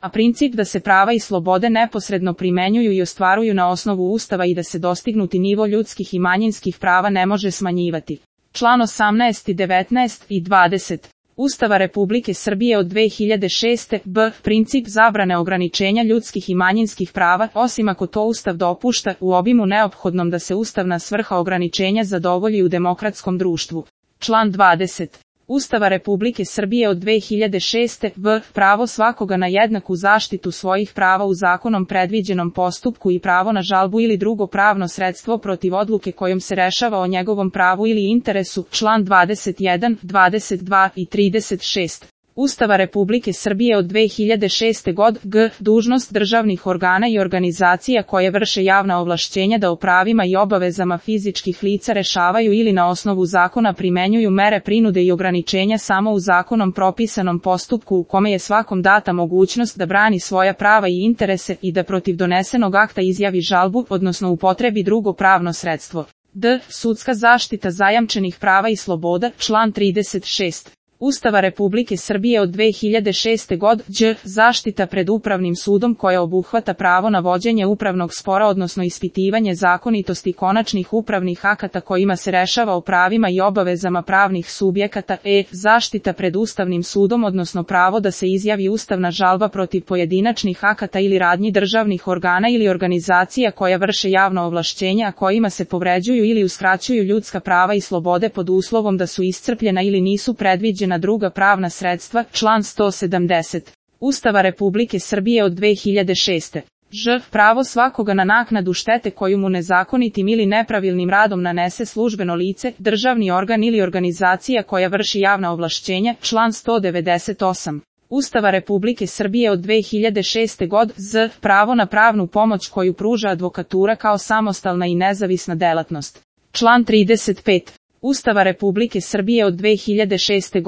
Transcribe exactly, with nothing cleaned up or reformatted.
a princip da se prava i slobode neposredno primenjuju i ostvaruju na osnovu Ustava i da se dostignuti nivo ljudskih i manjinskih prava ne može smanjivati. Član osamnaest, devetnaest i dvadeset Ustava Republike Srbije od dve hiljade šeste. b. Princip zabrane ograničenja ljudskih i manjinskih prava, osim ako to Ustav dopušta, u obimu neophodnom da se ustavna svrha ograničenja zadovolji u demokratskom društvu. Član dvadeset Ustava Republike Srbije od dve hiljade šeste. b. Pravo svakoga na jednaku zaštitu svojih prava u zakonom predviđenom postupku i pravo na žalbu ili drugo pravno sredstvo protiv odluke kojom se rešava o njegovom pravu ili interesu. Član dvadeset jedan, dvadeset dva i trideset šest Ustava Republike Srbije od dve hiljade šeste. g. Dužnost državnih organa i organizacija koje vrše javna ovlašćenja da o pravima i obavezama fizičkih lica rešavaju ili na osnovu zakona primenjuju mere prinude i ograničenja samo u zakonom propisanom postupku u kome je svakom data mogućnost da brani svoja prava i interese i da protiv donesenog akta izjavi žalbu, odnosno upotrebi drugo pravno sredstvo. d. Sudska zaštita zajamčenih prava i sloboda. Član trideset šest Ustava Republike Srbije od dve hiljade šeste. g. Zaštita pred upravnim sudom koja obuhvata pravo na vođenje upravnog spora odnosno ispitivanje zakonitosti konačnih upravnih akata kojima se rešava o pravima i obavezama pravnih subjekata. e. Zaštita pred Ustavnim sudom odnosno pravo da se izjavi ustavna žalba protiv pojedinačnih akata ili radnji državnih organa ili organizacija koja vrše javno ovlašćenje a kojima se povređuju ili uskraćuju ljudska prava i slobode pod uslovom da su iscrpljena ili nisu predviđena na druga pravna sredstva. Član sto sedamdeset Ustava Republike Srbije od dve hiljade šeste. ž. Pravo svakoga na naknadu štete koju mu nezakonitim ili nepravilnim radom nanese službeno lice, državni organ ili organizacija koja vrši javna ovlašćenja. Član sto devedeset osam Ustava Republike Srbije od dve hiljade šeste. z. Pravo na pravnu pomoć koju pruža advokatura kao samostalna i nezavisna delatnost. Član trideset pet Ustava Republike Srbije od dve hiljade šeste.